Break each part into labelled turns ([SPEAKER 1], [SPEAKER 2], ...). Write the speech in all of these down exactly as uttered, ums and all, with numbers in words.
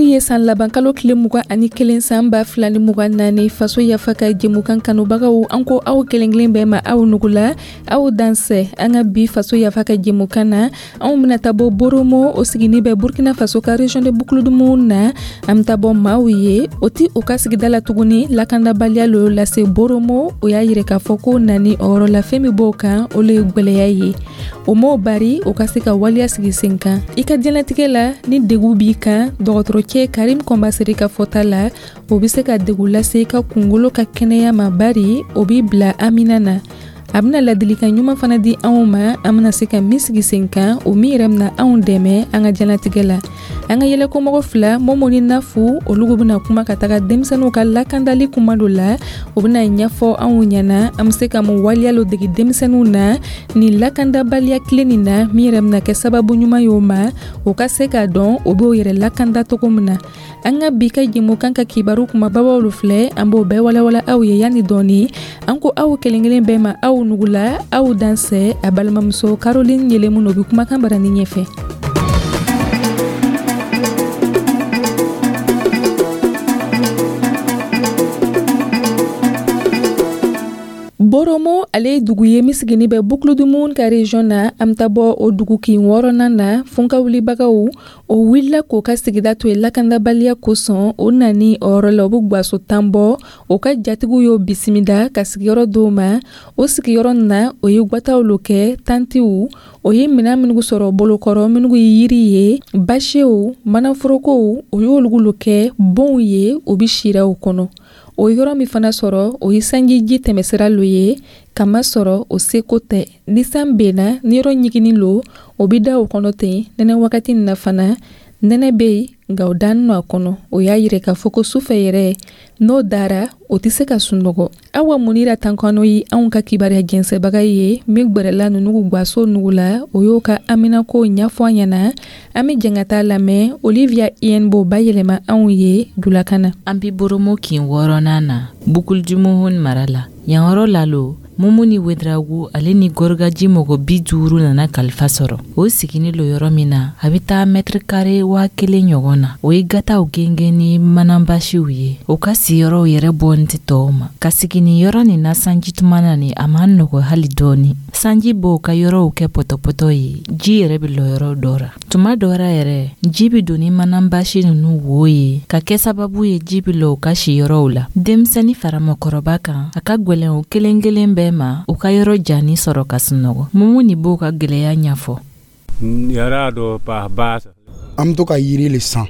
[SPEAKER 1] Bi ye san laban kalo tile mugan ani kelen san ba fila ni mugan naani. Faso Yafa ka jɛmukan kanubagaw, an ko aw kelen kelen bɛɛ ma, aw nugula, aw dansɛ. An ka bi Faso Yafa ka jɛmukan na, anw bɛna taa bɔ Boromo, o sigini bɛ Burkina Faso ka région de Boucle du Mouhoun na. An bɛ taa bɔ maaw ye, o ti u ka sigida la tuguni. Lakandabaliya lo lase Boromo. O y'a yira k'a fɔ ko nani o yɔrɔ la, fɛn min b'o kan, o le ye gwɛlɛya ye. O m'o bari o ka se ka waleya sigi sen kan i ka diɲɛlatigɛ la. Ni degu b'i kan, dɔgɔtɔrɔcɛ Karim Kɔnbasere ka fɔta la, o bɛ se ka degu lase i ka kungolo ka kɛnɛya ma, bari o b'i bila amina na. A bɛna ladilikan ɲuman fana di anw ma, an bɛna se ka min sigi sen kan, o min yɛrɛ bɛna anw dɛmɛ an ka diɲɛlatigɛ la. An ka yɛlɛkomɔgɔ fila, Momo ni Nafu, olu bɛna kuma ka taga denmisɛnninw ka lakandali kuma dɔ la. O bɛna ɲɛfɔ anw ɲɛna an bɛ se ka mun waleya lo degi denmisɛnninw na nin lakandabaliya tile nin na, min yɛrɛ bɛna kɛ sababu ɲuman ye o ma, o ka se k'a dɔn o b'o yɛrɛ lakanda cogo min na. An ka bi ka jɛmukan ka kibaru kumababaw filɛ, an b'o bɛɛ walawala aw ye yanni dɔɔni. An ko aw kelen kelen bɛɛ ma, aw nugula, aw dansɛ. A balimamuso Caroline Yelemu o bɛ kumakan barani ɲɛfɛ. Boromo, ale ye dugu ye min sigini bɛ Boucle du Mouhoun ka région na. An bɛ taa bɔ o dugu kin wɔɔrɔnan na. Funkawulibagaw, o wulila k'o ka sigida to yen lakandabaliya kosɔn. O nani o yɔrɔ la, o bɛ gwaso tan bɔ. O ka jatigiw y'o bisimila ka sigiyɔrɔ d'o ma. O sigiyɔrɔ na, o ye gwataw lo kɛ, tantiw. O ye minɛn minnu sɔrɔ bolokɔrɔ, minnu ye yiri ye, basiw, manaforokow, o y'olu lo kɛ bonw ye, o bɛ sira o kɔnɔ. O yɔrɔ min fana sɔrɔ, o ye sanjiji tɛmɛsira lo ye, kamasɔrɔ o seko tɛ. Ni san benna, ni yɔrɔ ɲiginin lo, o bɛ da o kɔnɔ ten. Nɛnɛ wagati nin na fana, nɛnɛ bɛ yen, nka o dannen no a kɔnɔ. O y'a yira k'a fɔ ko sufɛ yɛrɛ, n'o dara, o tɛ se ka sunɔgɔ. Awa Munira Tankano ye anw ka kibaruya jɛnsɛbaga ye min gwɛrɛla ninnu gwaso nugu la. O y'o ka haminako ɲɛfɔ an ɲɛna. An bɛ jɛn ka taa lamɛn. Olivia Ien b'o bayɛlɛma anw ye julakan na.
[SPEAKER 2] An bi Boromo kin wɔɔrɔnan na, Boucle du Mouhoun mara la. Yan yɔrɔ la lo, Mumuni Wedragu ale ni Gɔrɔgaji mɔgɔ bi duuru nana kalifa sɔrɔ. O sigini lo yɔrɔ min na, a bɛ taa mɛtiri kare waa kelen ɲɔgɔn na. O ye gataw gengen ni mananbasiw ye. O ka siyɔrɔw yɛrɛ bɔnin tɛ tɔw ma. Ka sigi nin yɔrɔ nin na sanji tuma na nin, a man nɔgɔ hali dɔɔni. Sanji b'o ka yɔrɔw kɛ pɔtɔpɔtɔ ye, ji yɛrɛ bɛ lɔ yɔrɔ dɔ ra. Tuma dɔ ra yɛrɛ, ji bɛ don ni mananbasi ninnu wo ye, ka kɛ sababu ye ji bɛ lɔ u ka siyɔrɔw la. Denmisɛnnin fara mɔgɔkɔrɔba kan, a ka gwɛlɛn o kelen kelen bɛɛ ma u ka yɔrɔ jani sɔrɔ ka sunɔgɔ. Mumuni b'o ka gwɛlɛya ɲɛfɔ.
[SPEAKER 3] An bɛ to ka yiri le san,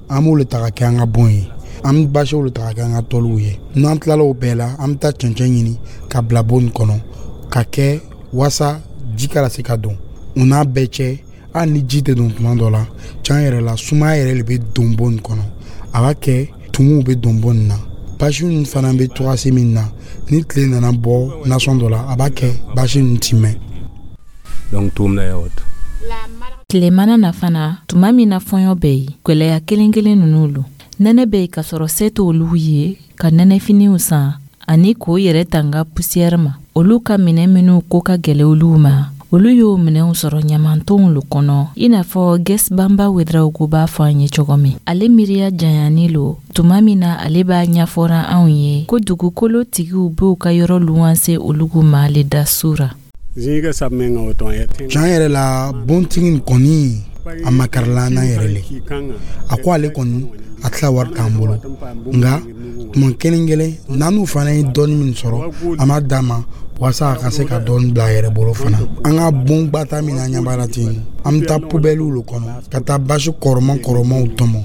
[SPEAKER 3] an b'o le ta ka kɛ an ka bon ye, an bɛ basiw le ta ka kɛ an ka tɔliw ye. N'an tilala o bɛɛ la, an bɛ taa cɛncɛn ɲini ka bila bon nin kɔnɔ ka kɛ wasa ji kana se ka don. O n'a bɛɛ cɛ, hali ni ji tɛ don tuma dɔ la, can yɛrɛ la, sumaya yɛrɛ de bɛ don bon nin kɔnɔ. A b'a kɛ tumuw bɛ don bon nin na. Basi ninnu fana bɛ togasi min na, ni tile nana bɔ nasɔn dɔ la, a b'a kɛ basi ninnu ti mɛn.
[SPEAKER 2] Tile mana na fana, tuma min na fɔɲɔ bɛ yen, gwɛlɛya kelen kelen ninnu lo. Nɛnɛ bɛ yen ka sɔrɔ se t'olu ye ka nɛnɛfiniw san ani k'o yɛrɛ tanga pusiyɛri ma. Olu ka minɛ minnu ko ka gɛlɛ olu ma, olu y'o minɛnw sɔrɔ ɲamantonw lo kɔnɔ, i n'a fɔ Ges Banba Wedrawogo b'a fɔ an ye cogo min. Ale miiriya janyani lo tuma min na, ale b'a ɲɛfɔra anw ye ko dugukolo tigiw b'u ka yɔrɔ luwanse olugu ma le da su ra.
[SPEAKER 3] Can yɛrɛ la, bontigi nin kɔni, a makarila an na yɛrɛ le. A ko ale kɔni a tila wari t'an bolo, nka tuma kelen kelen n'an n'u fana ye dɔɔni min sɔrɔ, an b'a d'a ma walasa a ka se ka dɔɔni bila a yɛrɛ bolo fana. An ka bon gbata min an ɲɛ b'a la ten, an bɛ taa pubɛliw le kɔnɔ ka taa basi kɔrɔman kɔrɔmanw tɔmɔ.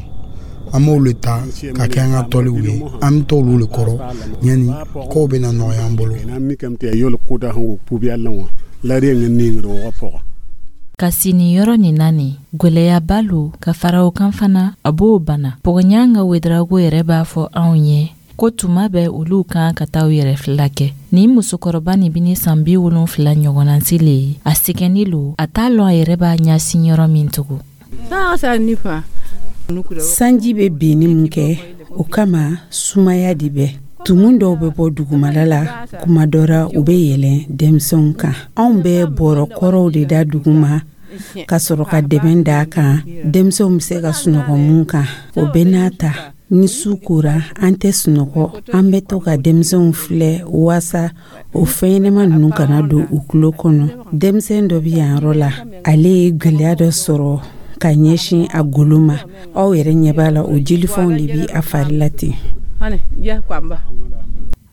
[SPEAKER 3] An b'olu le ta ka kɛ an ka tɔliw ye. An bɛ t'olu le kɔrɔ yanni kow bɛna nɔgɔya an bolo.
[SPEAKER 2] Ka si nin yɔrɔ nin na nin, gwɛlɛyaba lo. Ka fara o kan fana, a b'o bana. Pɔgɔɲanga Wedrago yɛrɛ b'a fɔ anw ye ko tuma bɛɛ olu kan ka taa u yɛrɛ fila kɛ. Nin musokɔrɔba nin bɛ ni san bi wolonfila ɲɔgɔnnasi le ye. A sɛgɛnni lo, a t'a lɔn a yɛrɛ b'a ɲɛsin yɔrɔ min tugun.
[SPEAKER 4] Sanji bɛ binni min kɛ, o kama sumaya de bɛ. Tumu dɔw bɛ bɔ dugumala la, kuma dɔ ra u bɛ yɛlɛn denmisɛnw kan. Anw bɛ bɔrɔ kɔrɔw de da duguma. ka sɔrɔ ka dɛmɛ d'a kan denmisɛnw bɛ se ka sunɔgɔ mun kan. O bɛɛ n'a ta, ni su kora, an tɛ sunɔgɔ, an bɛ to ka denmisɛnw filɛ waasa o fɛnɲɛnɛma ninnu kana don u tulo kɔnɔ. Denmisɛn dɔ bɛ yan yɔrɔ la, ale ye gwɛlɛya dɔ sɔrɔ ka ɲɛsin a golo ma. Aw yɛrɛ ɲɛ b'a la, o jelifɔnw de bɛ a fari la ten.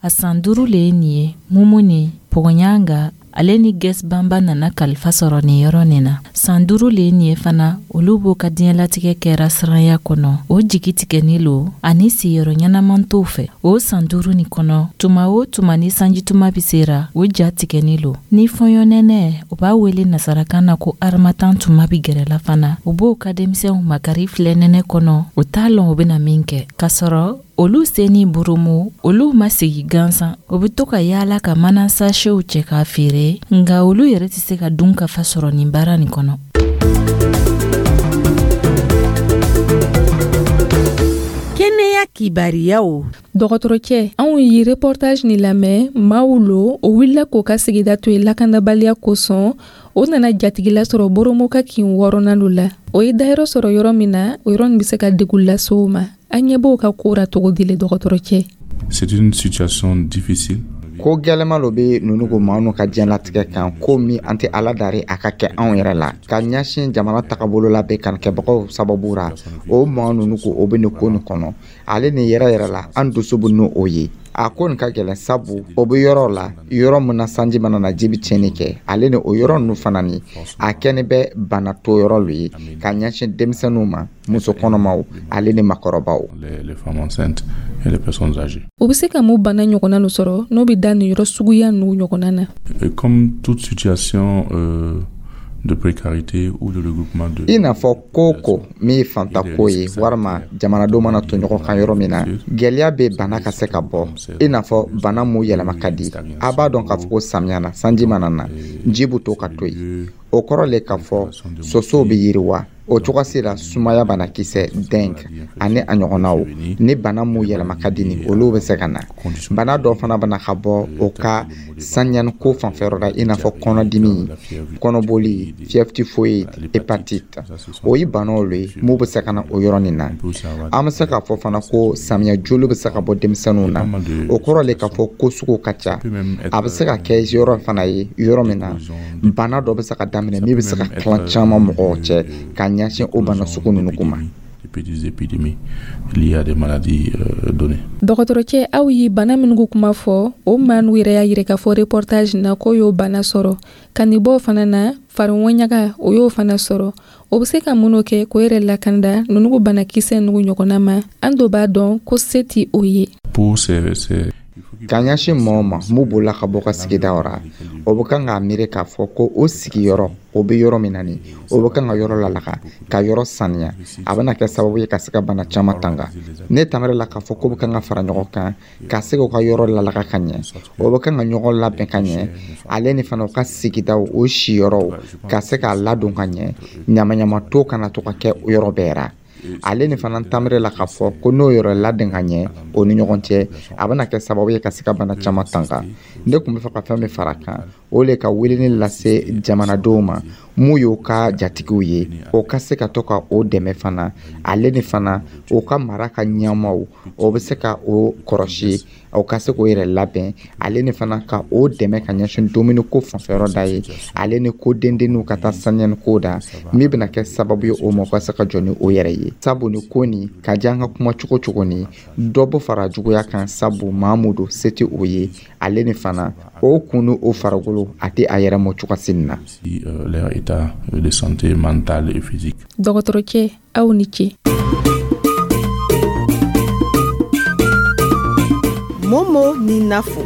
[SPEAKER 2] A san duuru le ye nin ye, Mumuni Pɔgɔɲanga ale ni Gɛs Banba nana kalifa sɔrɔ nin yɔrɔ nin na. San duuru le ye nin ye fana, olu b'o ka diɲɛlatigɛ kɛra siranya kɔnɔ, o jigi tigɛni lo ani siyɔrɔ ɲɛnaman t'o fɛ. O san duuru nin kɔnɔ, tuma o tuma ni sanjituma bi sera, o ja tigɛni lo. Ni fɔɲɔnɛnɛ, o b'a wele nasarakan na ko harmattan, tuma bi gɛrɛla fana, o b'o ka denmisɛnw makari filɛ nɛnɛ kɔnɔ, o t'a lɔn o bena min kɛ, k'a sɔrɔ olu sen ni burumu, olu ma sigi gansan. O be to ka yaala ka mana sachetw cɛ k'a feere, nga olu yɛrɛ tɛ se ka dun ka fa sɔrɔ nin baara nin kɔnɔ.
[SPEAKER 4] Kɛnɛya kibariyaw.
[SPEAKER 1] Dɔgɔtɔrɔcɛ, anw ye reportage nin lamɛn. Maaw lo o wulila k'o ka sigida to yen lakanabaliya kosɔn. O nana jatigila sɔrɔ Boromo ka kin wɔɔrɔnan lo la. O ye dayɔrɔ sɔrɔ yɔrɔ min na, o yɔrɔ nin bɛ se ka degun lase o ma. An ɲɛ b'o ka ko ra cogo di le, dɔgɔtɔrɔcɛ?
[SPEAKER 5] C'est une situation difficile.
[SPEAKER 6] Ko gɛlɛma lo be nunu ko maa nu ka diɲɛlatigɛ kan, ko min an tɛ Ala dari a ka kɛ anw yɛrɛ la ka ɲɛsin jamana tagabolo la bɛ kanikɛbagaw sababu ra. O maa nunu ko o be nin ko nin kɔnɔ, ale ni yɛrɛ yɛrɛ la, an dusu bɛ n'o o ye. A ko nin ka gɛlɛn, sabu o bɛ yɔrɔ la, yɔrɔ min na sanji mana na, ji bɛ tiɲɛni kɛ. Ale ni o yɔrɔ ninnu fana ni a kɛni bɛ bana to yɔrɔ lo ye ka ɲɛsin denmisɛnninw ma, muso kɔnɔmaw ale ni makɔrɔbaw.
[SPEAKER 1] U bɛ se ka mun bana ɲɔgɔnna nu sɔrɔ n'o bɛ da nin yɔrɔ suguya ninnu ɲɔgɔnna na?
[SPEAKER 5] Comme toute situation euh, de précarité ou de regroupement de
[SPEAKER 6] I n'a fɔ ko ko min ye fantako ye, walima jamanadenw mana to ɲɔgɔn kan yɔrɔ min na, gwɛlɛya bɛ bana ka se ka bɔ, i n'a fɔ bana mun yɛlɛma ka di. A b'a dɔn k'a fɔ ko samiya na, sanji mana na, ji bɛ to ka to yen. O kɔrɔ le k'a fɔ sosow bɛ yiriwa. O cogosi la, sumaya banakisɛ, dengue ani a ɲɔgɔnnaw ni bana mun yɛlɛma ka di ni olu bɛ se ka na. Bana dɔ fana bana ka bɔ o ka sanyaniko fanfɛyɔrɔ la, i n'a fɔ kɔnɔdimi, kɔnɔboli, fièvre typhoïde, hépatite. O ye banaw le ye mun bɛ se ka na o yɔrɔnin na. An bɛ se k'a fɔ fana ko samiya joli bɛ se ka bɔ denmisɛnninw na. O kɔrɔ le k'a fɔ ko sugu ka ca. A bɛ se ka kɛ yɔrɔ fana ye, yɔrɔ min na bana dɔ bɛ se ka daminɛ min bɛ se ka tilan caman mɔgɔw cɛ ka ɲɛsin o bana sugu ninnu ma.
[SPEAKER 1] Dɔgɔtɔrɔcɛ, aw ye bana minnu kuma fɔ, o maa n'u yɛrɛ y'a yira k'a fɔ reportage na k'o y'o bana sɔrɔ. Ka nin bɔ fana na, fariŋɔɲaga, o y'o fana sɔrɔ. O bɛ se ka minnu kɛ k'o yɛrɛ lakanda ninnu banakisɛ ninnu ɲɔgɔnna ma, an dɔ b'a dɔn ko se ti o ye.
[SPEAKER 6] Ka ɲɛsin mɔgɔw ma mun bolila ka bɔ ka sigidaw ra, o bɛ kan k'a miiri k'a fɔ ko o sigiyɔrɔ o bɛ yɔrɔ min na nin, o bɛ kan ka yɔrɔ lalaga ka yɔrɔ saniya. A bɛna kɛ sababu ye ka se ka bana caman tanga. Ne tamara la k'a fɔ ko bɛ kan ka fara ɲɔgɔn kan ka se k'u ka yɔrɔ lalaga ka ɲɛ, o bɛ kan ka ɲɔgɔn labɛn ka ɲɛ, ale ni fana u ka sigidaw o siyɔrɔw ka se k'a ladon ka ɲɛ, ɲamaɲama to kana to ka kɛ o yɔrɔ bɛɛ ra. Ale ni fana tamere la k'a fɔ ko n'o yɔrɔ ladɛn ka ɲɛ o ni ɲɔgɔn cɛ, a bɛna kɛ sababu ye ka se ka bana caman tanga. Ne tun bɛ fɛ ka fɛn min fara kan, o le ka weleli lase jamanadenw ma mun y'o ka jatigiw ye, o ka se ka to ka o dɛmɛ fana. Ale ni fana o ka mara ka ɲɛmaw, o bɛ se ka o kɔrɔsi, o ka se k'o yɛrɛ labɛn. Ale ni fana ka o dɛmɛ ka ɲɛsin dumuni ko fanfɛyɔrɔ da ye, ale ni ko dendenninw ka taa saniyani ko da min bɛna kɛ sababu ye o ma, o ka se ka jɔ ni o yɛrɛ ye. Sabu ni ko nin ka di an ka kuma cogo cogo ni dɔ bɔ fara juguya kan, sabu maa mun don, se tɛ o ye. Ale ni fana o kun ni o farikolo a tɛ a yɛrɛ mɔ cogo si na.
[SPEAKER 1] Dɔgɔtɔrɔcɛ, aw ni ce.
[SPEAKER 7] Momo ni Nafo.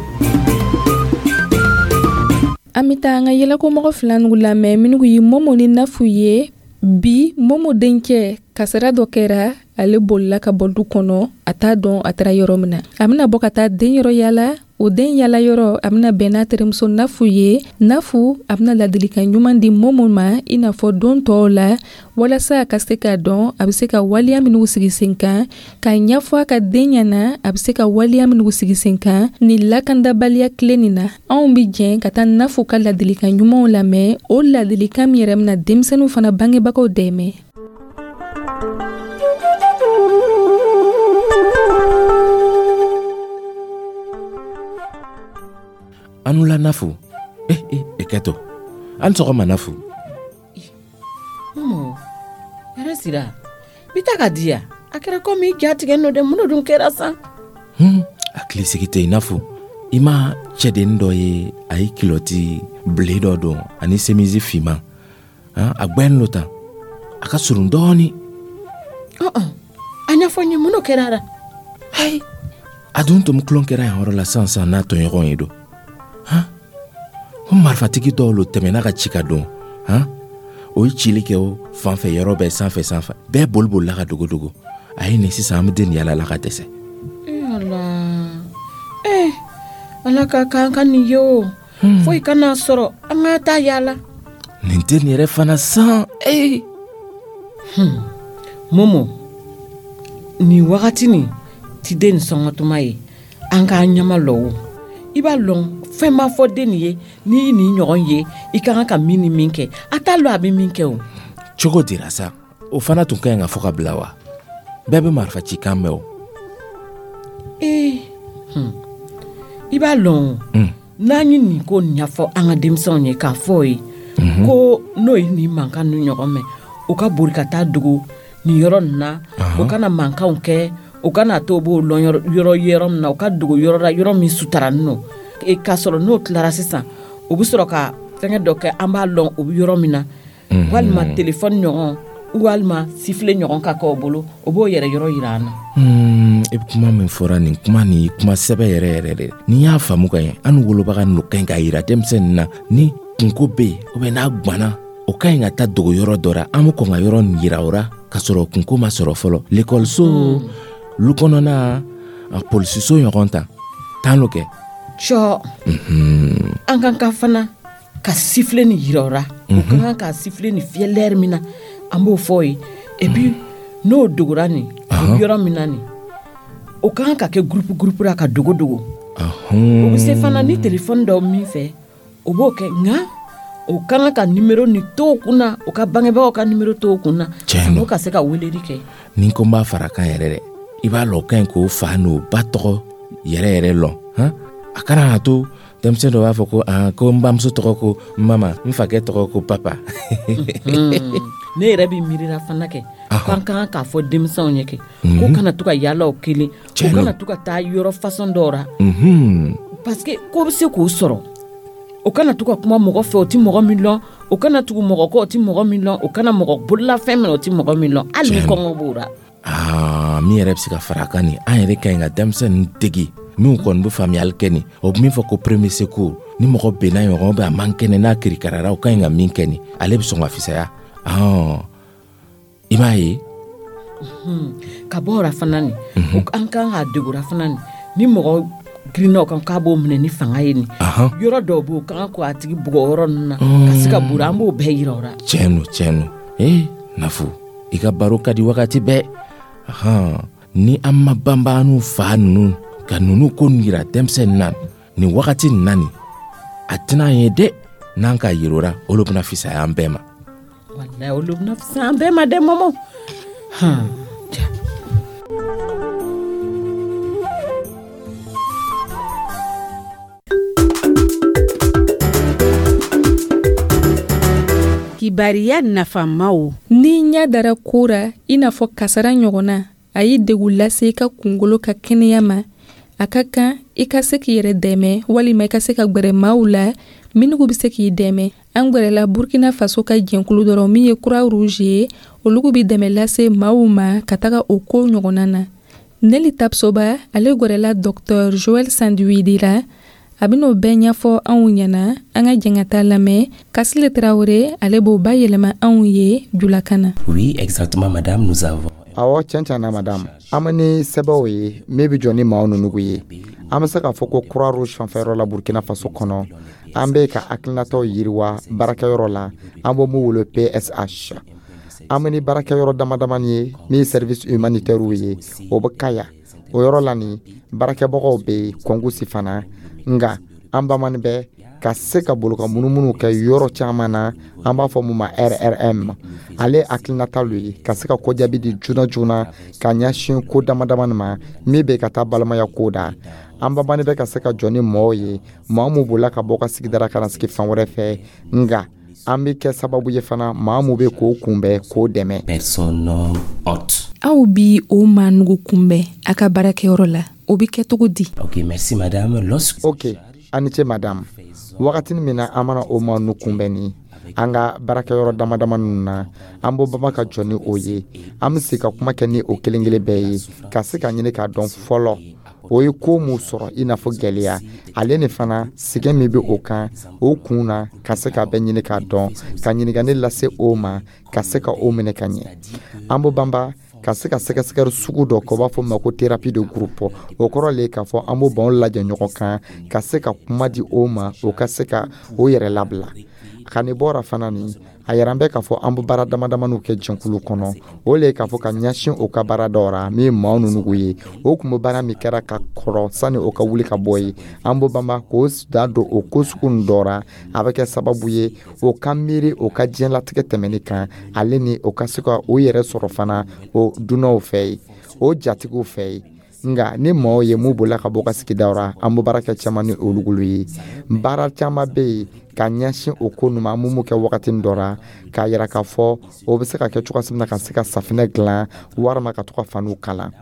[SPEAKER 1] An bɛ taa an ka yɛlɛkomɔgɔ fila nugu lamɛn minnu ye Momo ni Nafu ye. Bi Momo dencɛ, kasara dɔ kɛra, ale bolila ka bɔ du kɔnɔ, a t'a dɔn a taara yɔrɔ min na. A bɛna bɔ ka taa den yɔrɔ yala. O den yala yɔrɔ, a bɛna bɛn n'a terimuso Nafu ye. Nafu, a bɛna ladilikan ɲuman di Momo ma i n'a fɔ don tɔw la, walasa a ka se k'a dɔn a bɛ se ka waleya minnu sigi sen kan, k'a ɲɛfɔ a ka den ɲɛna a bɛ se ka waleya minnu sigi sen kan nin lakandabaliya tile nin na. Anw bɛ jɛn ka taa Nafu ka ladilikan ɲumanw lamɛn, o ladilikan min yɛrɛ bɛna denmisɛnninw fana bangebagaw dɛmɛ.
[SPEAKER 8] Anula Nafu. Eh eh e kɛtɔ. An sɔgɔma Nafu.
[SPEAKER 9] Momo, hɛrɛ sira. Bi ta ka di ya. A kɛra komi i ja tigɛ nɔ dɛ, mun de dun kɛra san?
[SPEAKER 8] Hmm, hakili sigi tɛ yen Nafu. I ma cɛdennin dɔ ye, a ye kilɔti bile dɔ don ani semisi finman. Han, a gbɛn lo tan. A ka surun dɔɔni.
[SPEAKER 9] Ɔn, a ɲɛfɔ n ye, mun de kɛra la?
[SPEAKER 8] Ayi. A dun tun tulon kɛra yan yɔrɔ la sisan sisan n'a tɔɲɔgɔn ye don. Han, ko marifatigi dɔw lo tɛmɛna ka ci ka don. Han, o ye cili kɛ o fan fɛ yɔrɔ bɛɛ, sanfɛ sanfɛ bɛɛ boli bolila ka dogo dogo. A ye nin sisan, an bɛ den yala la ka dɛsɛ.
[SPEAKER 9] Eh Ala, eh Ala ka k'an ka nin ye o. Foyi kana sɔrɔ, an ka taa yala.
[SPEAKER 8] Nin den yɛrɛ fana san ee.
[SPEAKER 9] Hmm. Momo, nin wagati nin ti den sɔngɔtuma ye, an k'an ɲama lɔ o. I b'a lɔn fɛn ma fɔ den nin ye, n'i nin ɲɔgɔn ye, i ka kan ka min ni min kɛ, a t'a lɔn a bɛ min kɛ o.
[SPEAKER 8] Cogo dira sa, o fana tun ka ɲi ka fɔ ka bila wa? Bɛɛ bɛ marifa cikan mɛn o.
[SPEAKER 9] Ee, hmm. I b'a lɔn o, n'an ye nin ko ɲɛfɔ an ka denmisɛnw ye k'a fɔ o ye, ko n'o ye nin mankan ninnu ɲɔgɔn mɛn, u ka boli ka taa dogo nin yɔrɔ nin na, u kana mankanw kɛ, u kana to b'o lɔn yɔrɔ yɔrɔ min na, u ka dogo yɔrɔ la, yɔrɔ min sutaranin don. K'a sɔrɔ n'o tilara sisan, u bɛ sɔrɔ ka fɛngɛ dɔ kɛ, an b'a lɔn u bɛ yɔrɔ min na, walima telefɔni ɲɔgɔn, walima sifile ɲɔgɔn ka kɛ o bolo, o b'o yɛrɛ yɔrɔ yira an na.
[SPEAKER 8] E bɛ kuma min fɔra nin kuma nin kuma sɛbɛ yɛrɛ yɛrɛ de. N'i y'a faamu ka ɲɛ, an wolobaga ninnu ka ɲi k'a yira denmisɛnnin na ni kunko bɛ yen, ou bien n'a gwanna, o ka ɲi ka taa dogo yɔrɔ dɔ la, an bɛ kɔn ka yɔrɔ nin yira o la k'a sɔrɔ kunko ma sɔrɔ fɔlɔ. Lekɔliso, lu kɔnɔna, a polisiso ɲɔgɔn ta tan lo kɛ.
[SPEAKER 9] Cɔ, an kan ka fana ka sifile nin yira o la, o ka kan ka sifile nin fiyɛ lɛri min na, an b'o fɔ o ye. Et puis n'o dogora nin, o bɛ yɔrɔ min na nin, o ka kan ka kɛ groupe groupe la ka dogo dogo. O bɛ se fana ni telefɔni dɔ min fɛ, o b'o kɛ, nka o ka kan ka nimero ni to o kun na, o ka bangebagaw ka nimero to o kun na, san'o ka se ka weleli kɛ.
[SPEAKER 8] Ni ko n b'a fara kan yɛrɛ dɛ, i b'a lɔn o ka ɲi k'o fa n'o ba tɔgɔ yɛrɛ yɛrɛ lɔn. Han, a kana na to denmisɛn dɔ b'a fɔ ko ah, ko n bamuso tɔgɔ ko mama, n fakɛ tɔgɔ ko papa.
[SPEAKER 9] Ne yɛrɛ bɛ miirila fana kɛ, k'an ka kan k'a fɔ denmisɛnw ye kɛ, k'u kana to ka yaala o kelen, u kana to ka taa yɔrɔ façon dɔw la, parce que ko bɛ se k'o sɔrɔ. O kana to ka kuma mɔgɔ fɛ, o ti mɔgɔ min lɔn, o kana tugu mɔgɔ kɔ, o ti mɔgɔ min lɔn, o kana mɔgɔ bololafɛn minɛ, o ti mɔgɔ min lɔn, hali ni kɔngɔ b'o la.
[SPEAKER 8] Aa, min yɛrɛ bɛ se ka fara a kan nin, an yɛrɛ ka ɲi ka denmisɛnnin dege minnu kɔni bɛ faamuyali kɛ nin, o bɛ min fɔ ko premier secours, ni mɔgɔ benna ɲɔgɔn bɛ a man kɛnɛ n'a kirikarara, o ka ɲi ka min kɛ nin, ale bɛ sɔn ka fisaya. Ɔn, i m'a ye.
[SPEAKER 9] Ka bɔ o la fana nin, an kan k'a dege o la fana nin, ni mɔgɔ girinna o kan k'a b'o minɛ ni fanga ye nin, yɔrɔ dɔw b'o kan k'a tigi bugɔ yɔrɔ ninnu na, ka se ka bori, an b'o bɛɛ yira o la.
[SPEAKER 8] Tiɲɛ don, tiɲɛ don. Ee Nafu, i ka baro ka di wagati bɛɛ. Ahan, ni an ma banba n'u fa ninnu ka ninnu ko yira denmisɛnnin na nin wagati nin na nin, a tɛna ye dɛ, n'an ka yira o la, olu bɛna fisaya an bɛɛ ma.
[SPEAKER 9] Walayi, olu bɛna fisaya an bɛɛ ma dɛ, Momo. Han.
[SPEAKER 4] Kibariya nafamaw.
[SPEAKER 1] N'i ɲɛ dara ko ra, i n'a fɔ kasara ɲɔgɔnna, a ye degun lase i ka kunkolo ka kɛnɛya ma, a ka kan i ka se k'i yɛrɛ dɛmɛ walima i ka se ka gwɛrɛ maaw la minnu bɛ se k'i dɛmɛ. An gwɛrɛla Burkina Faso ka jɛnkulu dɔrɔn min ye Croix Rouge ye, olu bɛ dɛmɛ lase maaw ma ka taga o ko ɲɔgɔnna na. Neli Tapsoba, ale gwɛrɛla docteur Joël Sandwidi la, a bɛn'o bɛɛ ɲɛfɔ anw ɲɛna. An ka jɛn ka taa lamɛn. Kasile Tarawele, ale b'o bayɛlɛma anw ye julakan na.
[SPEAKER 10] Oui, exactement, madame, nous avons
[SPEAKER 6] Awɔ, tiɲɛ tiɲɛ na, madame, an bɛ ni sɛbɛnw ye min bɛ jɔ ni maaw ninnu ye. An bɛ se k'a fɔ ko Croix Rouge fanfɛyɔrɔ la Burkina Faso kɔnɔ, an bɛ ka hakilinataw yiriwa baarakɛyɔrɔ la, an b'o mun wele P S H. An bɛ ni baarakɛyɔrɔ dama damani ye min ye service humanitaire ye, o bɛ Kaya. O yɔrɔ la nin, baarakɛbagaw bɛ yen Kɔngusi fana. Nka an bamani bɛ ka se ka bolo ka munumunu kɛ yɔrɔ caman na, an b'a fɔ mun ma R R M. Ale hakilinata lo ye ka se ka kɔjaabi di joona joona ka ɲɛsin ko dama damani ma min bɛ ka taa balimaya ko da. An bamani bɛ ka se ka jɔ ni mɔɔw ye, maa mun bolila ka bɔ ka sigidara ka na sigi fan wɛrɛ fɛ. Nka an bɛ kɛ sababu ye fana, maa mun bɛ k'o kunbɛn, k'o dɛmɛ.
[SPEAKER 1] Aw bi o maa nugu kunbɛn a ka baarakɛyɔrɔ la, o bɛ kɛ cogo di?
[SPEAKER 8] Ok, merci madame. Lorsque
[SPEAKER 6] Ok, a ni ce madame. Wagatini min na an mana o maa nu kunbɛn ni an ka baarakɛyɔrɔ dama dama ninnu na, an b'o bama ka jɔ ni o ye. An bɛ se ka kuma kɛ ni o kelen kelen bɛɛ ye, ka se ka ɲini k'a dɔn fɔlɔ o ye ko mun sɔrɔ, i n'a fɔ gwɛlɛya, ale ni fana sɛgɛn min bɛ o kan o kun na, ka se k'a bɛɛ ɲini k'a dɔn, ka ɲininkali lase o ma, ka se ka o minɛ ka ɲɛ. An b'o banba ka se ka sɛgɛsɛgɛli sugu dɔ kɛ, o b'a fɔ ma ko thérapie de groupe. O kɔrɔ le k'a fɔ an b'o banw lajɛ ɲɔgɔn kan, ka se ka kuma di o ma, o ka se ka o yɛrɛ labila. Ka nin bɔra fana nin, a yɛrɛ an bɛ k'a fɔ an bɛ baara dama damaniw kɛ jɛnkulu kɔnɔ. O le ye k'a fɔ ka ɲɛsin o ka baara dɔw ra min ye maa ninnu ye, o kun bɛ baara min kɛra ka kɔrɔ sani o ka wuli ka bɔ ye. An b'o banba k'o da don o ko sugu ninnu dɔ ra. A bɛ kɛ sababu ye o ka miiri o ka diɲɛlatigɛ tɛmɛni kan, ale ni o ka se ka o yɛrɛ sɔrɔ fana o dunanw fɛ yen, o jatigiw fɛ yen. Nka ni maaw ye mun bolila ka bɔ ka sigidaw ra, an bɛ baara kɛ caman ni olu ye. Baara caman bɛ yen ka ɲɛsin o ko ninnu ma, an bɛ mun kɛ wagati dɔ ra, k'a yira k'a fɔ o bɛ se ka kɛ cogoya min na ka se ka safinɛ dilan, walima ka to ka faniw kala.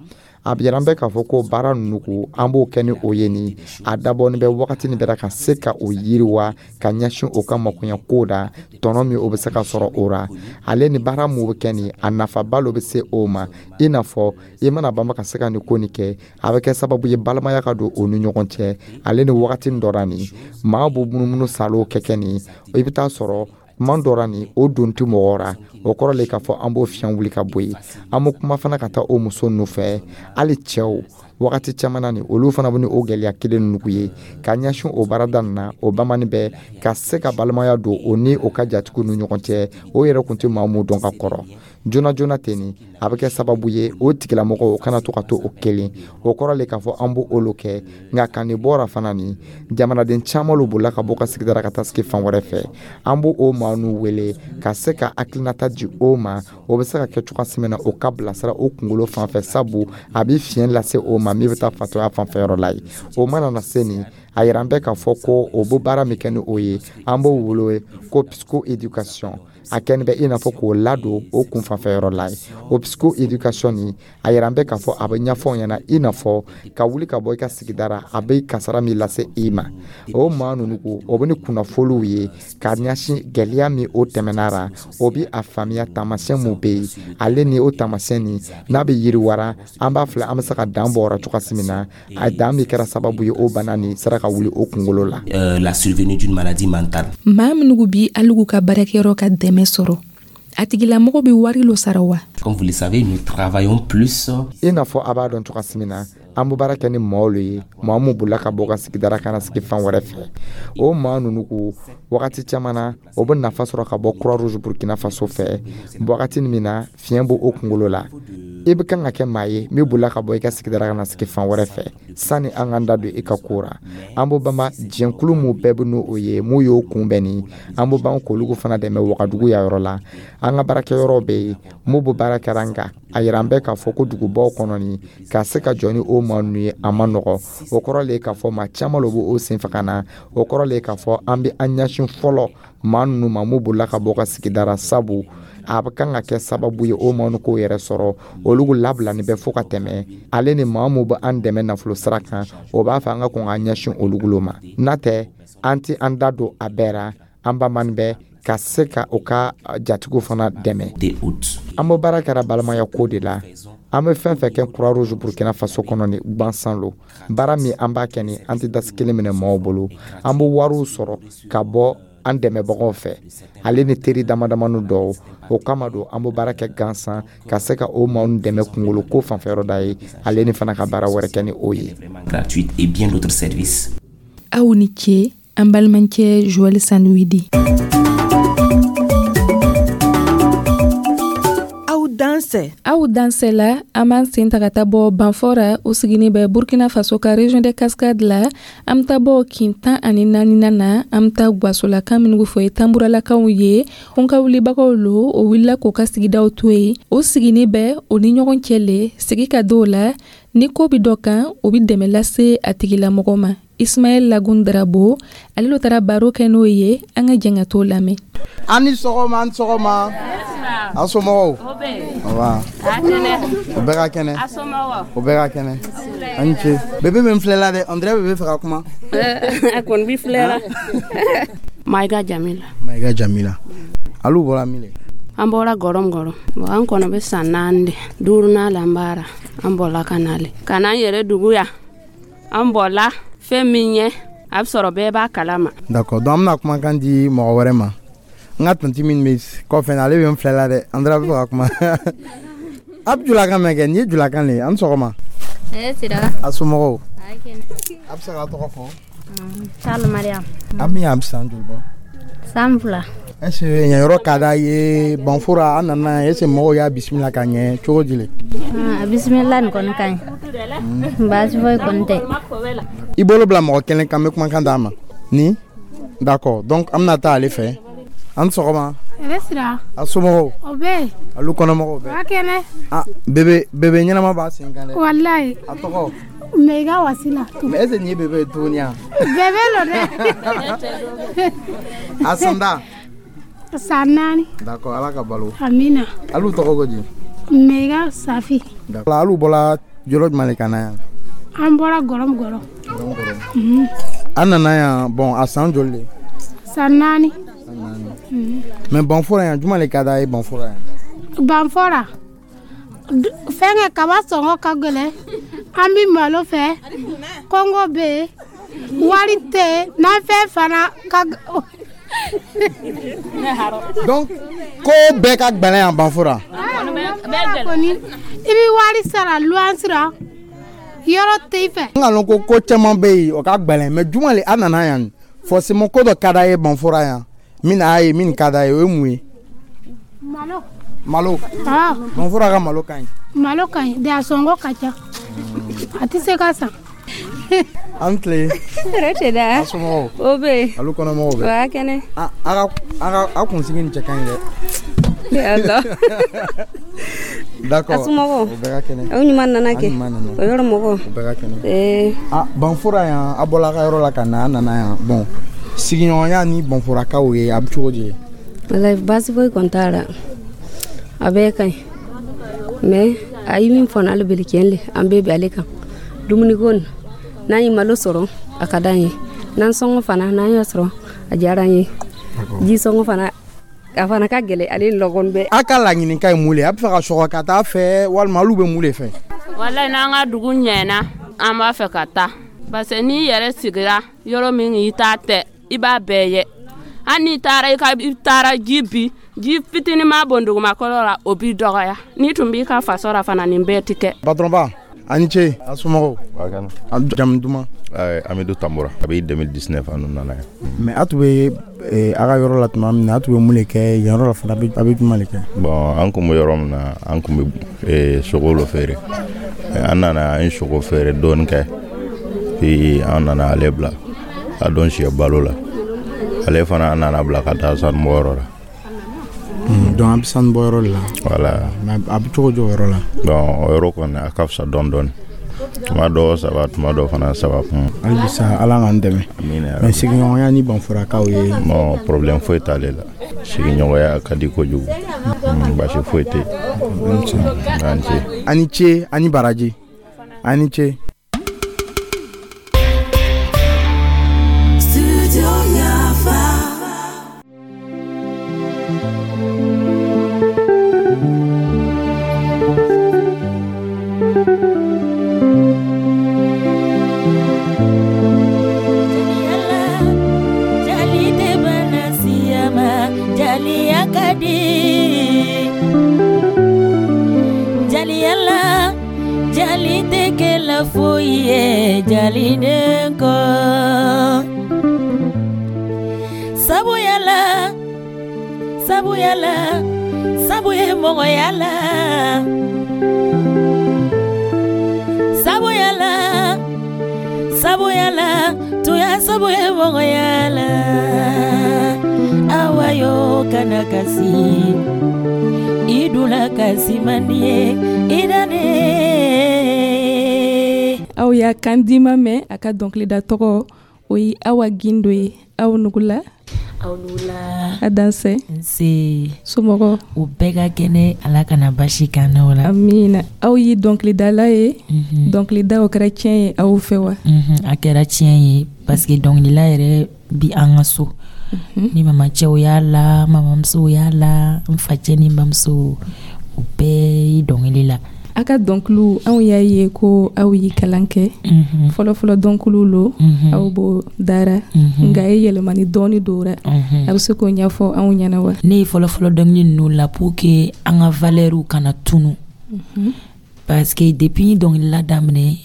[SPEAKER 6] A bɛ yira an bɛ k'a fɔ ko baara ninnu ko an b'o kɛ ni o ye nin, a dabɔnin bɛ wagati nin bɛɛ ka se ka o yiriwa ka ɲɛsin o ka makoɲɛ ko da, tɔnɔ min o bɛ se ka sɔrɔ o ra, ale ni baara mun bɛ kɛ nin, a nafaba lo bɛ se o ma. I n'a fɔ i mana banba ka se ka nin ko nin kɛ, a bɛ kɛ sababu ye balimaya ka don o ni ɲɔgɔn cɛ. Ale ni wagati dɔ ra nin, maa b'o munumunu salo kɛ kɛ nin, i bɛ taa sɔrɔ kuma dɔ ra nin, o don tɛ mɔgɔ ra. O kɔrɔ le k'a fɔ an b'o fiɲɛ wuli ka bɔ yen. An bɛ kuma fana ka taa o muso ninnu fɛ, hali cɛw, wagati caman na nin, olu fana bɛ ni o gɛlɛya kelen ninnu ye ka ɲɛsin o baarada nin na. O bamani bɛ ka se ka balimaya don o ni o ka jatigiw ni ɲɔgɔn cɛ, o yɛrɛ kun tɛ maa mun dɔn ka kɔrɔ joona joona ten nin, a bɛ kɛ sababu ye o tigilamɔgɔw o kana to ka to o kelen. O kɔrɔ le k'a fɔ an b'o olu kɛ. Nka ka nin bɔra fana nin, jamanaden caman lo bolila ka bɔ ka sigida ka taa sigi fan wɛrɛ fɛ. An b'o o maa n'u wele ka se ka hakilinata di o ma, o bɛ se ka kɛ cogoya min na o ka bilasira o kunkolo fan fɛ, sabu a bɛ fiɲɛ lase o ma min bɛ taa fatɔya fanfɛyɔrɔ la ye. O mana na se nin, a yira an bɛ k'a fɔ ko o bɛ baara min kɛ ni o ye, an b'o wele ko psycho éducation. A kɛni bɛ i n'a fɔ k'o ladon o kun fanfɛyɔrɔ la ye. O psycho éducation nin, a yira an bɛ k'a fɔ a bɛ ɲɛfɔ aw ɲɛna, i n'a fɔ ka wuli ka bɔ i ka sigida ra, a bɛ kasara min lase i ma. O maa ninnu ko o bɛ ni kunnafoniw ye ka ɲɛsin gɛlɛya min o tɛmɛna ra, o bɛ a faamuya taamasiyɛn mun bɛ yen, ale ni o taamasiyɛn nin n'a bɛ yiriwara, an b'a filɛ an bɛ se ka dan bɔ o ra cogoya min na, a dan min kɛra sababu ye o bana nin sera ka wuli o kunkolo la.
[SPEAKER 8] Euh, la survenue d'une maladie mentale.
[SPEAKER 1] Maa minnu bi aligu ka baarakɛyɔrɔ ka dɛmɛ sɔrɔ, a tigilamɔgɔ bɛ wari lo sara wa?
[SPEAKER 8] Comme vous le savez, nous travaillons plus.
[SPEAKER 6] I n'a fɔ a b'a dɔn cogoya min na, an bɛ baara kɛ ni maaw le ye, maa mun bolila ka bɔ ka sigida ka na sigi fan wɛrɛ fɛ. O maa ninnu ko wagati caman na, o bɛ nafa sɔrɔ ka bɔ Croix Rouge Burkina Faso fɛ. Wagati min na fiɲɛ b'o o kunkolo la, i bɛ kan ka kɛ maa ye min bolila ka bɔ i ka sigida ka na sigi fan wɛrɛ fɛ, sani an k'an da don i ka ko ra, an b'o banba jɛnkulu mun bɛɛ bɛ n'o ye, mun y'o kunbɛn nin, an b'o ban k'olu fana dɛmɛ Wagadugu ya yɔrɔ la. An ka baarakɛyɔrɔ bɛ yen mun b'o baara kɛra. Nka a yira an bɛɛ k'a fɔ ko dugubaw kɔnɔ nin, ka se ka jɔ ni o maa ninnu ye, a ma nɔgɔ. O kɔrɔ le ye k'a fɔ maa caman lo b'o sen fɛ ka na. O kɔrɔ le ye k'a fɔ an bɛ an ɲɛsin fɔlɔ maa ninnu ma mun bolila ka bɔ ka sigida ra, sabu a bɛ kan ka kɛ sababu ye o maa ninnu k'o yɛrɛ sɔrɔ, olu labilani bɛ fo ka tɛmɛ. Ale ni maa mun bɛ an dɛmɛ nafolo sira kan, o b'a fɛ an ka kɔn k'an ɲɛsin olu ma. N'a tɛ, an tɛ an da don a bɛɛ ra. An bamani bɛ ka se ka o ka jatigiw fana dɛmɛ. An bɛ baara kɛra balimaya ko de la. An bɛ fɛn fɛn kɛ Croix Rouge Burkina Faso kɔnɔ ni gansan lo, baara min an b'a kɛ ni an tɛ dasi kelen minɛ maaw bolo. An bɛ wariw sɔrɔ ka bɔ An dɛmɛbagaw fɛ, ale ni teri damadamani dɔw. O kama don an bɛ baara kɛ gansan ka se ka o maaw dɛmɛ kungolo ko fanfɛyɔrɔ da ye, ale ni fana ka baara wɛrɛ kɛ ni o ye.
[SPEAKER 10] Gratuite et bien d'autres services.
[SPEAKER 1] Aw ni ce, an balimakɛ Joël Sanuidi.
[SPEAKER 7] Aw dansɛ.
[SPEAKER 1] Aw dansɛ la, an b'an sen ta ka taa bɔ Banfora, o sigini bɛ Burkina Faso ka région de Cascade la. An bɛ taa bɔ kin tan ani naaninan na, an bɛ taa Gwasolakan minnu fɔ ye Tanburalakaw ye. Ka wulibagaw lo, o wulila k'o ka sigidaw to yen. O sigini bɛ o ni ɲɔgɔn cɛ le sigi ka dɔw la, ni ko bɛ dɔ kan, o bɛ dɛmɛ lase a tigilamɔgɔ ma. Ismaël Lagun Drabo, ale lo taara baro kɛ n'o ye. An ka jɛn ka t'o lamɛn.
[SPEAKER 3] An ni sɔgɔma, an ni sɔgɔma. A somɔgɔw? Nba. O bɛɛ ka kɛnɛ. O bɛɛ ka kɛnɛ. An ni ce. Bébé bɛ n filɛ la dɛ, on dirait bébé fɛ ka kuma.
[SPEAKER 11] A kɔni b'i filɛ la. Mayiga Jamila.
[SPEAKER 3] Mayiga Jamila. Alu bɔra min le?
[SPEAKER 11] An bɔra Gɔrɔm-Gɔrɔm. Bon, an kɔnɔ bɛ san naani de. Duurunan la an baara. An bɔla ka na le. Ka n'an yɛrɛ dugu yan. An bɔla fɛn min ye, a bɛ sɔrɔ bɛɛ b'a kalama.
[SPEAKER 3] D'accord, donc an bɛna kumakan di mɔgɔ wɛrɛ ma. N ka tantie min bɛ kɔfɛ, ale bɛ n filɛ la dɛ, an bɛ fɛ ka kuma. A bɛ julakan mɛn kɛ, nin ye julakan le ye. An ni sɔgɔma.
[SPEAKER 12] Sira.
[SPEAKER 3] A somɔgɔw? A bɛ se k'a tɔgɔ fɔ?
[SPEAKER 12] Sali Mariam.
[SPEAKER 3] A min a bɛ san joli bɔ?
[SPEAKER 12] San fila.
[SPEAKER 3] Est ce que yen yɔrɔ ka d'a ye? Banfora, an nana, est ce que mɔgɔw y'a bisimila ka ɲɛ cogo di le?
[SPEAKER 12] A bisimila nin kɔni ka ɲi. Baasi foyi kɔni tɛ.
[SPEAKER 3] I bolo bila mɔgɔ kelen kan, n bɛ kumakan d'a ma. Ni? D'accord, donc an bɛna taa ale fɛ. An ni sɔgɔma.
[SPEAKER 13] Hɛrɛ sira.
[SPEAKER 3] A somɔgɔw?
[SPEAKER 13] O bɛ yen.
[SPEAKER 3] Alu kɔnɔmɔgɔw bɛɛ?
[SPEAKER 13] Ba kɛnɛ.
[SPEAKER 3] Ah, bébé bébé ɲɛnama b'a sen kan dɛ.
[SPEAKER 13] Walayi.
[SPEAKER 3] A tɔgɔ?
[SPEAKER 13] Meyiga Wasila.
[SPEAKER 3] Mais est ce que nin ye bébé ye tuguni wa?
[SPEAKER 13] Bébé lo dɛ.
[SPEAKER 3] A san da?
[SPEAKER 13] San naani.
[SPEAKER 3] D'accord, Ala ka balo.
[SPEAKER 13] Amina.
[SPEAKER 3] Alu tɔgɔ ko di?
[SPEAKER 13] Meyiga Safi.
[SPEAKER 3] D'accord, alu bɔra yɔrɔ jumɛn de ka na yan?
[SPEAKER 13] An bɔra Gɔrɔm Gɔrɔm.
[SPEAKER 3] An nana yan, bon, a san joli de?
[SPEAKER 13] San naani.
[SPEAKER 3] Mais Banfora yan, jumɛn de ka d'a ye Banfora yan?
[SPEAKER 13] Banfora, fɛnkɛ kaba sɔngɔ ka gɛlɛn, an bɛ malo fɛ, kɔngɔ bɛ yen, wari tɛ yen, nafɛn fana ka.
[SPEAKER 3] Donc ko bɛɛ ka gɛlɛn yan Banfora.
[SPEAKER 13] Kɔni i bɛ wari sara luwanse la, yɔrɔ tɛ i fɛ.
[SPEAKER 3] N ka lɔn ko ko caman bɛ yen o ka gɛlɛn, mais jumɛn de a nana yan forcément ko dɔ ka d'a ye Banfora yan min n'a ye min ka d'a ye, o ye mun ye?
[SPEAKER 13] Malo.
[SPEAKER 3] Malo.
[SPEAKER 13] Ah.
[SPEAKER 3] Banfora ka malo ka ɲi.
[SPEAKER 13] Malo ka ɲi, de a sɔngɔ ka ca. A tɛ se ka san.
[SPEAKER 3] An tile.
[SPEAKER 14] Hɛrɛ tɛ da.
[SPEAKER 3] A somɔgɔw?
[SPEAKER 14] O bɛ yen.
[SPEAKER 3] Alu kɔnɔmɔgɔw bɛ?
[SPEAKER 14] Wa kɛnɛ.
[SPEAKER 3] A ka a ka a kunsigi nin cɛ ka ɲi dɛ.
[SPEAKER 14] Ala.
[SPEAKER 3] D'accord.
[SPEAKER 14] A somɔgɔw?
[SPEAKER 3] O bɛɛ ka kɛnɛ.
[SPEAKER 14] Aw ɲuman nana kɛ.
[SPEAKER 3] An ɲuman nana.
[SPEAKER 14] O yɔrɔ mɔgɔw?
[SPEAKER 3] O bɛɛ ka kɛnɛ.
[SPEAKER 14] Ee.
[SPEAKER 3] Ah, Banfora yan, a bɔla a ka yɔrɔ la ka na, an nana yan. Bon, sigiɲɔgɔnya ni Banforakaw ye, a bɛ cogo di?
[SPEAKER 14] Walayi, baasi foyi kɔni t'a la. A bɛɛ ka ɲi. Mais a ye min fɔ n'ale bɛlɛ tiɲɛ le, an bɛɛ bɛ ale kan. Dumuniko nin, n'an ye malo sɔrɔ, a ka d'an ye. N'an sɔngɔ fana, n'an y'a sɔrɔ, a diyara an ye. Ji sɔngɔ fana, a fana ka gɛlɛn, ale ni lɔgɔnin bɛɛ.
[SPEAKER 3] A ka laɲini ka ye mun le ye? A bɛ fɛ ka sɔgɔ ka taa fɛ walima olu bɛ mun de fɛ?
[SPEAKER 11] Walayi, n'an ka dugu ɲɛna, an b'a fɛ ka taa. Parce que n'i yɛrɛ sigira yɔrɔ min i t'a tɛ, i b'a bɛɛ ye. Hali n'i taara i ka i taara ji bi, ji fitinin ma bɔn dugumakɔrɔ la, o b'i dɔgɔya. N'i tun b'i ka faso la fana, nin bɛɛ ti kɛ.
[SPEAKER 3] Patron ba, a ni ce. A somɔgɔw? A jamu duman?
[SPEAKER 15] Amidou Tamboura. A bɛ deux mille dix-neuf an nana yan.
[SPEAKER 3] Mais a tun bɛ a ka yɔrɔ la tuma min na, a tun bɛ mun de kɛ yen yɔrɔ la fana, a bɛ jumɛn de kɛ?
[SPEAKER 15] Bon, an kun bɛ yɔrɔ min na, an kun bɛ sogo lo feere. An nana, an ye sogo feere dɔɔni kɛ, puis an nana ale bila ka don sɛ balo la. Ale fana an nana bila ka taa sanubɔyɔrɔ la.
[SPEAKER 3] Donc an bɛ sanubɔyɔrɔ de la.
[SPEAKER 15] Voilà.
[SPEAKER 3] Mais a bɛ cogo di o yɔrɔ la?
[SPEAKER 15] Bon, o yɔrɔ kɔni a ka fisa dɔɔni dɔɔni. Tuma dɔw saba, tuma dɔw fana saba kun.
[SPEAKER 3] Hali bisa Ala k'an dɛmɛ.
[SPEAKER 15] Amiina.
[SPEAKER 3] Mais sigiɲɔgɔnya ni Banforakaw ye?
[SPEAKER 15] Bon, problème foyi t'ale la. Sigiɲɔgɔnya ka di kojugu. Baasi foyi tɛ yen. An ce.
[SPEAKER 3] A ni ce, a ni baraji. A ni ce.
[SPEAKER 16] Jali tɛ bana.
[SPEAKER 2] di. Jaliya la, jali tɛ kɛla foyi ye jaliden kɔ. Sabuya la, sabuya la, sabu ye mɔgɔya la. Sabuya la, sabuya la, tuya sabu ye mɔgɔya la. Awa yo kana kasi, i dula kasi man di ye, i dane.
[SPEAKER 1] Aw y'a kan dima mɛn, a ka dɔnkilida tɔgɔ o ye Awa Gindo ye. Aw nugula.
[SPEAKER 2] Aw nugula.
[SPEAKER 1] A dansɛ.
[SPEAKER 2] Nse.
[SPEAKER 1] Somɔgɔw?
[SPEAKER 2] U bɛɛ ka kɛnɛ, Ala kana basi k'an n'aw la.
[SPEAKER 1] Amiina. Aw ye dɔnkilidala ye, dɔnkilida o kɛra tiɲɛ ye aw fɛ wa?
[SPEAKER 2] A kɛra tiɲɛ ye parce que dɔnkilila yɛrɛ bi an ka so. Ni mamacɛw y'a la, mamamusow y'a la, n facɛ ni n bamuso, u bɛɛ ye dɔnkili la.
[SPEAKER 1] A ka dɔnkiliw, anw y'a ye ko aw ye kalan kɛ. Fɔlɔfɔlɔ dɔnkiliw lo, aw b'o dara, nka ye yɛlɛmani dɔɔni dora. A bɛ se k'o ɲɛfɔ anw ɲɛna wa?
[SPEAKER 2] Ne ye fɔlɔfɔlɔ dɔnkili ninnu la pour que an ka valeur kana tunu. Parce que depuis dɔnkilila daminɛ,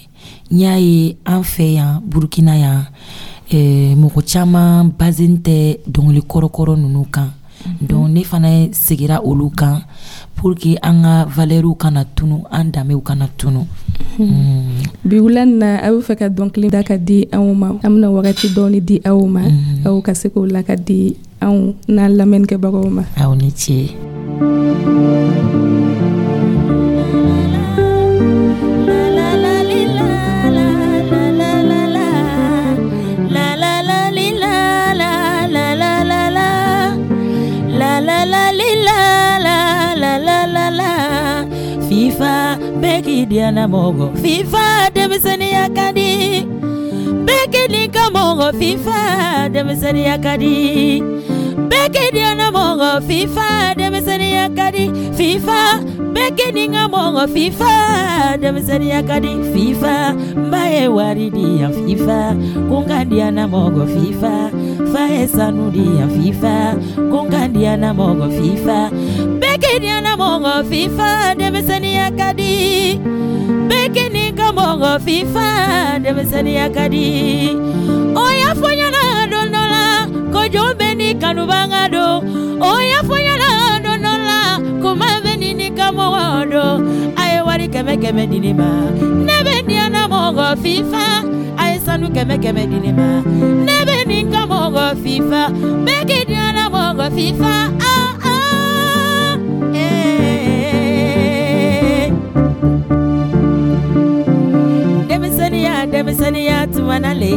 [SPEAKER 2] n y'a ye an fɛ yan Burukina yan, eh, mɔgɔ caman basé tɛ dɔnkili kɔrɔkɔrɔ ninnu kan. Donc ne fana segira olu kan pour que an ka valeur kana tunu, an danbew kana tunu.
[SPEAKER 1] Bi wula in na, aw bɛ fɛ ka dɔnkili da ka di anw ma. An bɛna wagati dɔɔni di aw ma, aw ka se k'o la ka di anw n'an lamɛnnikɛbagaw ma.
[SPEAKER 2] Aw ni ce. FIFA bɛɛ k'i diyana mɔgɔ, FIFA denmisɛnninya ka di. Bɛɛ k'i ni ka mɔgɔ, FIFA denmisɛnninya ka di. Bɛɛ k'i diyana mɔgɔ, FIFA denmisɛnninya ka di. FIFA bɛɛ k'i ni ka mɔgɔ, FIFA denmisɛnninya ka di. FIFA n ba ye wari di yan, FIFA ko n ka diyana mɔgɔ, FIFA fa ye sanu di yan, FIFA ko n ka diyana mɔgɔ, FIFA bɛɛ k'i diyana mɔgɔ, FIFA denmisɛnninya ka di. Bɛɛ k'i ni ka mɔgɔ, FIFA denmisɛnninya ka di. O y'a fɔ ɲɛna don dɔ la ko jɔn bɛ ni kanubaga don. O y'a fɔ ɲɛna don dɔ la ko maa bɛ ni ni ka mɔgɔ don. A ye wari kɛmɛ kɛmɛ di ne ma, ne bɛ diyana mɔgɔ, FIFA a ye sanu kɛmɛ kɛmɛ di ne ma, ne bɛ nin ka mɔgɔ, FIFA bɛɛ k'i diyana mɔgɔ, FIFA ah ah eh. Denmisɛnninya denmisɛnninya tuma na le,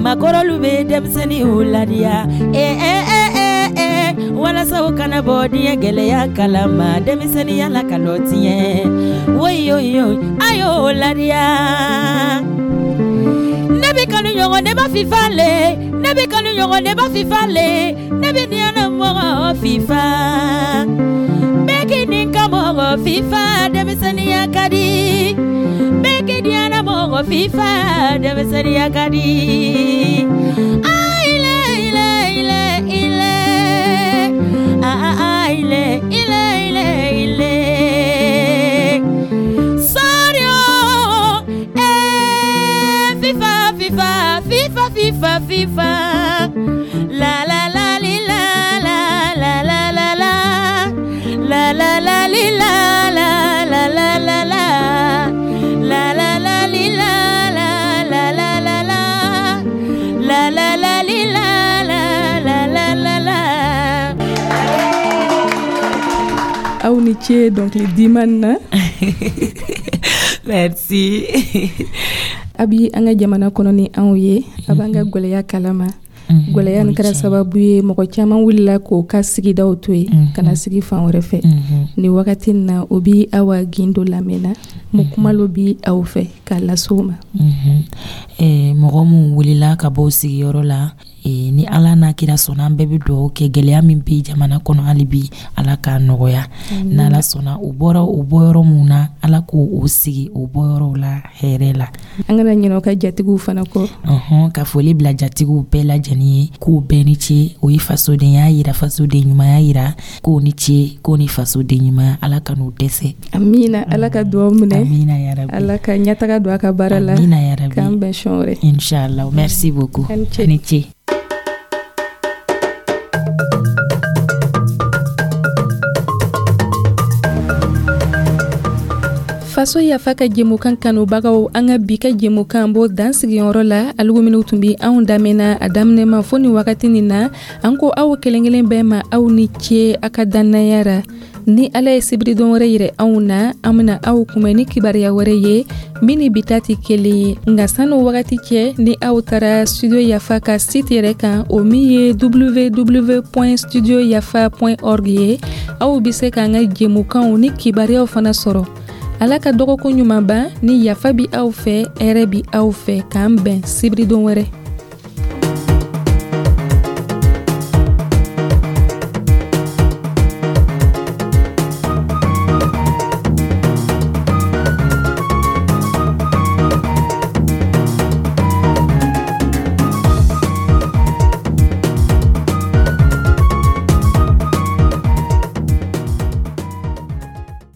[SPEAKER 2] makɔrɔlu bɛ denmisɛnninw ladiya eh eh eh eh eh, walasa u kana bɔ diɲɛ gɛlɛya kalama. Denmisɛnninya la ka lɔ tiɲɛ, woyoyo a y'o ladiya. Ne bɛ kanu ɲɔgɔn, ne ba FIFA le, ne bɛ kanu ɲɔgɔn, ne ba FIFA le, ne bɛ diyana mɔgɔ, FIFA bɛɛ k'i ni ka mɔgɔ, FIFA denmisɛnninya ka di. Bɛɛ k'i diyana mɔgɔ, FIFA denmisɛnninya ka di. Ah, ile ile ile ile, ah ah ile ile ile ile. Sorry oh, eh, FIFA FIFA FIFA FIFA FIFA, la la la li la la la la la la la la la li la la la la la la la la la li la la la la la la la la la li la la la la la la.
[SPEAKER 1] Aw ni ce dɔnkili diman na.
[SPEAKER 2] Merci.
[SPEAKER 1] A bi an ka jamana kɔnɔ ni anw ye, a b'an ka gwɛlɛya kalama. Gwɛlɛya nin kɛra sababu ye mɔgɔ caman wulila k'o ka sigidaw to yen ka na sigi fan wɛrɛ fɛ. Nin wagati in na, o bi Awa Gindo lamɛnna. Mun kuma lo bi aw fɛ k'a lase u ma?
[SPEAKER 2] Eh, mɔgɔ min wulila ka bɔ sigiyɔrɔ la, eh, ni Ala n'a kira sɔnna, an bɛɛ bɛ dugawu kɛ, gɛlɛya min bɛ jamana kɔnɔ hali bi, Ala k'a nɔgɔya. N'Ala sɔnna, u bɔra u bɔyɔrɔ mun na, Ala k'o o sigi o bɔyɔrɔw la hɛrɛ la.
[SPEAKER 1] An kana ɲinɛ u ka jatigiw fana kɔ.
[SPEAKER 2] Ɔhɔn, ka foli bila jatigiw bɛɛ lajɛlen ye, k'u bɛɛ ni ce. O ye fasodenya yira, fasoden ɲumanya yira, k'o ni ce, k'o ni fasoden ɲumanya, Ala ka n'u dɛsɛ.
[SPEAKER 1] Amina, Ala ka dugawu minɛ.
[SPEAKER 2] Amina yarabi.
[SPEAKER 1] Ala ka ɲɛtaga don a ka baara la.
[SPEAKER 2] Amina yarabi.
[SPEAKER 1] K'an bɛn siɲɛ wɛrɛ.
[SPEAKER 2] Inshallah, merci beaucoup.
[SPEAKER 1] Ani
[SPEAKER 2] ce.
[SPEAKER 1] Faso Yafa ka jɛmukan kanubagaw, an ka bi ka jɛmukan b'o dan sigiyɔrɔ la. Alugu minnu tun bi anw daminɛ a daminɛ ma fo ni wagati nin na, an ko aw kelen kelen bɛɛ ma, aw ni ce a ka dannaya ra. Ni Ala ye sibiridon wɛrɛ yirɛ anw na, an bena aw kunbɛn ni kibaruya wɛrɛ ye min ni bi ta tɛ kelen ye. Nka sanu wagati cɛ, ni aw taara Studio Yafa ka site yɛrɛ kan, o min ye W W W studio yafa org ye, aw be se k'an ka jɛmukanw ni kibaruyaw fana sɔrɔ. Ala ka dɔgɔkun ɲuman ban. Ni yafa bi aw fɛ, hɛrɛ bi aw fɛ. K'an bɛn sibiridon wɛrɛ.